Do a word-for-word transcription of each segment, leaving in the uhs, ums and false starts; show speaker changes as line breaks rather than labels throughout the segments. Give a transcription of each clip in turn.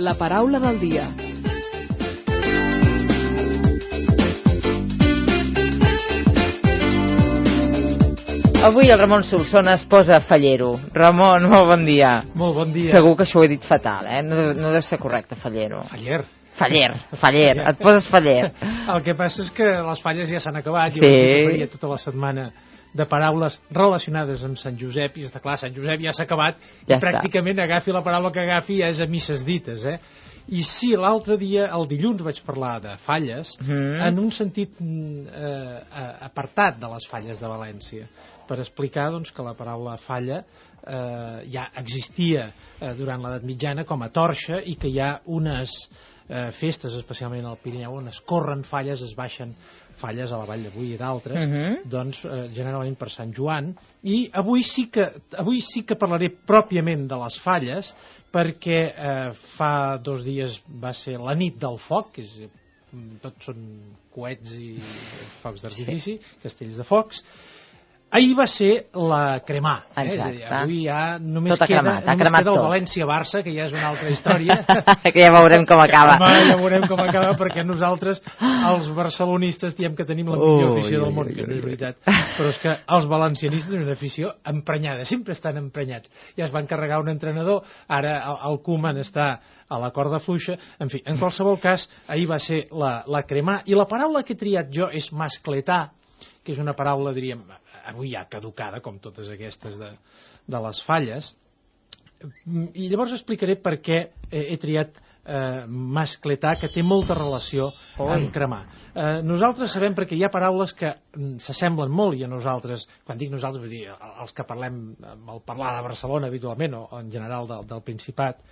La paraula del dia.
Avui el Ramon Solsona es posa fallero. Ramon, molt bon dia.
Molt bon dia.
Segur que això ho he dit fatal, eh? No, no deu ser correcte, fallero.
Faller.
Faller, faller, et poses faller.
El que passa és que les falles ja s'han acabat.
Sí.
Jo vaig dir que faria tota la setmana de paraules relacionades amb Sant Josep, i està clar, Sant Josep ja s'ha acabat,
ja
i pràcticament està. Agafi la paraula que agafi ja és a misses dites, eh? I sí, l'altre dia, el dilluns, vaig parlar de falles, mm. en un sentit eh, apartat de les falles de València, per explicar doncs, que la paraula falla eh, ja existia eh, durant l'edat mitjana com a torxa, i que hi ha unes eh, festes, especialment al Pirineu, on es corren falles, es baixen falles a la Vall de Boí i d'altres, mm-hmm. doncs eh, generalment per Sant Joan. I avui sí que, avui sí que parlaré pròpiament de les falles, perquè eh, fa dos dies va ser la nit del foc, que és, tot són coets i focs d'artifici, sí. Castells de focs. Ahir va ser la cremar, eh? És a dir, avui ja només queda,
cremat,
només queda el València-Barça, que ja és una altra història.
Que ja veurem com acaba.
Home, ja veurem com acaba, perquè nosaltres, els barcelonistes, diem que tenim la millor afició del món, que no és veritat, però és que els valencianistes tenen una afició emprenyada, sempre estan emprenyats. Ja es van carregar un entrenador, ara el Koeman està a la corda fluixa. En fi, en qualsevol cas, ahir va ser la, la cremar, i la paraula que he triat jo és mascletar, que és una paraula, diríem, avui ja caducada, com totes aquestes de, de les falles. I llavors explicaré per què he triat eh, mascletar, que té molta relació Oi. amb cremar. Eh, nosaltres sabem, perquè hi ha paraules que s'assemblen molt, i a nosaltres, quan dic nosaltres, vull dir, els que parlem, el parlar de Barcelona habitualment, o en general del, del Principat,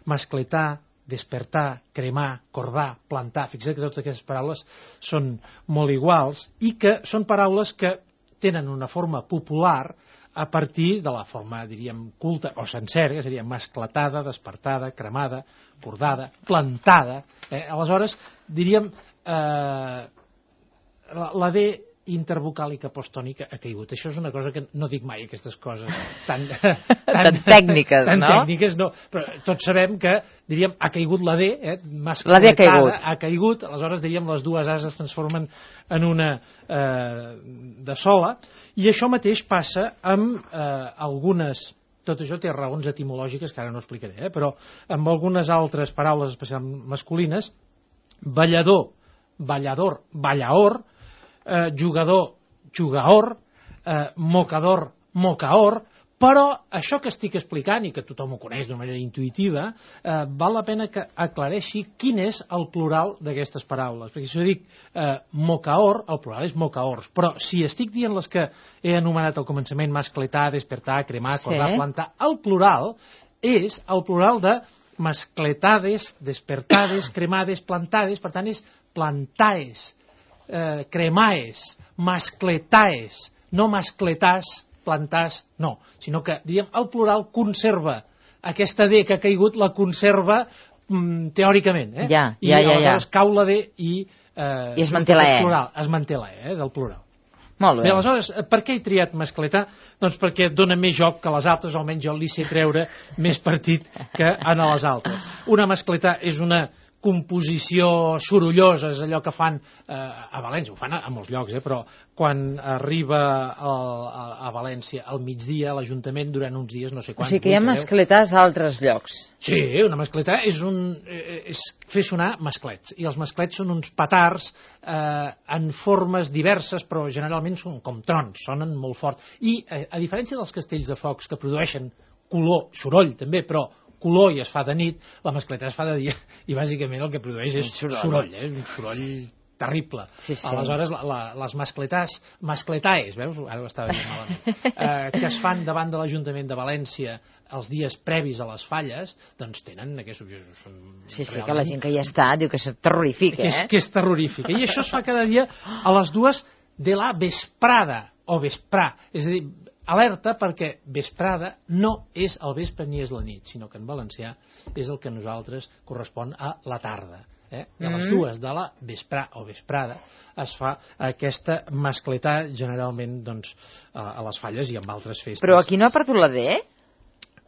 mascletar, despertar, cremar, cordar, plantar, fixa't que totes aquestes paraules són molt iguals, i que són paraules que tenen una forma popular a partir de la forma, diríem, culta o sencera, que seria mascletada, despertada, cremada, cordada, plantada. Eh? Aleshores, diríem, eh, la, la D intervocàlica postònica ha caigut. Això és una cosa que no dic mai, aquestes coses tan, tan,
tan tècniques,
tan
no?
tècniques, no. Però tots sabem que, diríem, ha caigut la D, eh?
La D ha caigut.
ha caigut, aleshores, diríem, les dues A's es transformen en una eh, de sola, i això mateix passa amb eh, algunes, tot això té raons etimològiques que ara no explicaré, eh? Però amb algunes altres paraules, especialment masculines, ballador, ballador, ballaor, Eh, jugador, jugaor, eh, mocador, mocaor, però això que estic explicant, i que tothom ho coneix d'una manera intuïtiva, eh, val la pena que aclareixi quin és el plural d'aquestes paraules. Perquè si jo dic eh, mocaor, el plural és mocaors, però si estic dient les que he anomenat al començament, mascletar, despertar, cremar, cordar, sí. plantar, el plural és el plural de mascletades, despertades, cremades, plantades, per tant és plantaes, Eh, cremaes, mascletaes, no mascletàs, plantàs, no, sinó que, diríem, el plural conserva aquesta D que ha caigut, la conserva mm, teòricament, eh?
Ja,
I
ja, ja,
aleshores
ja.
cau la D i, eh,
I es manté la E.
Plural, es manté la E, eh, del plural.
Molt bé.
Bé, aleshores, per què he triat mascletar? Doncs perquè dona més joc que les altres, almenys jo li sé treure més partit que en les altres. Una mascletar és una composició sorollosa, és allò que fan eh, a València, ho fan a, a molts llocs, eh, però quan arriba a, a, a València al migdia, a l'Ajuntament, durant uns dies, no sé quants...
O sigui que hi ha mascletars a altres llocs.
Sí, una mascletà és, un, és fer sonar masclets, i els masclets són uns petards eh, en formes diverses, però generalment són com trons, sonen molt fort. I eh, a diferència dels castells de focs, que produeixen color, soroll també, però color i es fa de nit, la mascleta es fa de dia, i bàsicament el que produeix és soroll, soroll eh? Un soroll terrible.
Sí, sí.
Aleshores, la, la, les mascletàs, mascletaes, veus? Ara ho estava dient malament, eh, que es fan davant de l'Ajuntament de València els dies previs a les falles, doncs tenen aquests objectius.
Sí, sí, que la gent que hi està diu que és terrorífic, eh?
Que és, que és terrorífic. I això es fa cada dia a les dues de la vesprada, o vesprà, és a dir, alerta, perquè vesprada no és el vespre ni és la nit, sinó que en valencià és el que a nosaltres correspon a la tarda. Eh? De les dues de la vesprà o vesprada es fa aquesta mascletà, generalment doncs, a les falles i en altres festes.
Però aquí no ha perdut la D?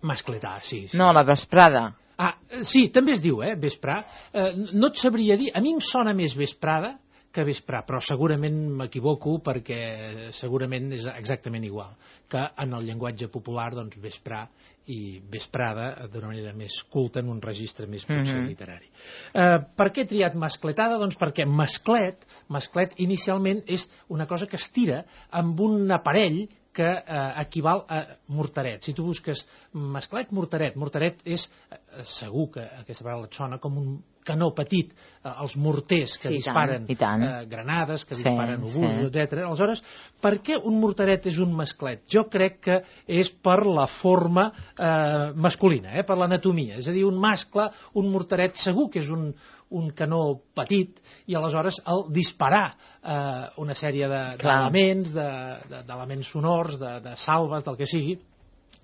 Mascletà, sí, sí.
No, la vesprada.
Ah, sí, també es diu, eh, vesprà. Eh, no et sabria dir, a mi em sona més vesprada que vesprà, però segurament m'equivoco perquè segurament és exactament igual que en el llenguatge popular, doncs, vesprà i vesprada d'una manera més culta en un registre més potser mm-hmm. literari. Eh, per què he triat mascletada? Doncs perquè masclet, masclet inicialment és una cosa que es tira amb un aparell que eh, equival a mortaret. Si tu busques masclet, mortaret, mortaret és, eh, segur que aquesta paraula et sona com un canó petit, eh, els morters que
sí,
disparen
i tant, i tant.
Eh, granades, que
sí,
disparen obusos,
sí.
etcètera. Aleshores, per què un mortaret és un masclet? Jo crec que és per la forma eh, masculina, eh, per l'anatomia. És a dir, un mascle, un mortaret, segur que és un, un canó petit i aleshores el disparar eh, una sèrie d'elements, de, de, d'elements sonors, de, de salves, del que sigui,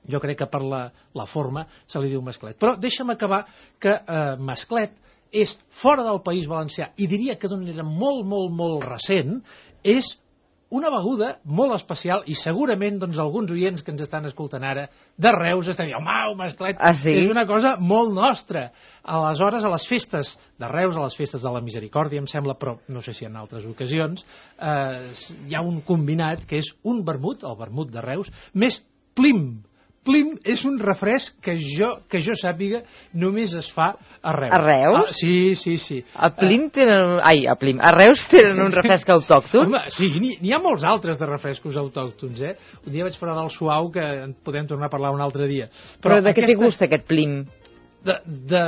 jo crec que per la, la forma se li diu masclet. Però deixa'm acabar que eh, masclet és fora del País Valencià, i diria que d'una manera molt, molt, molt recent, és una beguda molt especial i segurament doncs, alguns oients que ens estan escoltant ara de Reus estan dient, home, masclet,
ah, sí?
és una cosa molt nostra. Aleshores, a les festes de Reus, a les festes de la Misericòrdia, em sembla, però no sé si en altres ocasions, eh, hi ha un combinat que és un vermut, el vermut de Reus, més plim. Plim és un refresc que jo, que jo sàpiga només es fa a Reus.
A Reus?
Ah, sí, sí, sí.
A Plim tenen... Ai, a Plim. A Reus tenen un refresc autòcton?
Home, sí, n'hi ha molts altres de refrescos autòctons, eh? Un dia vaig parlar del suau, que en podem tornar a parlar un altre dia.
Però, Però de aquesta... què té gust aquest Plim?
De, de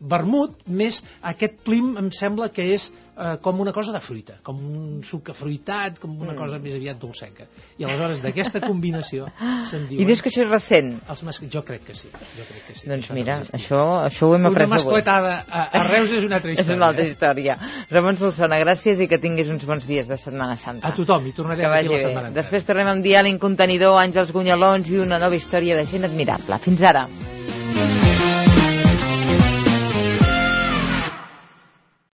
vermut, més aquest Plim em sembla que és eh, com una cosa de fruita, com un suc afruitat, com una mm. cosa més aviat dolcenca. I aleshores d'aquesta combinació se'n diuen...
I dius que això és recent?
Els mas... Jo crec que sí. Jo crec que sí.
Doncs
això
mira,
no
això, això ho hem après avui.
Una mascletada a, a Reus és una altra història.
És una altra història. Ramon Solsona, gràcies i que tinguis uns bons dies de Setmana Santa.
A tothom, i tornarem aquí la setmana.
Després tornem amb Dial Incontenidor, Àngels Gunyalons i una nova història de gent admirable. Fins ara.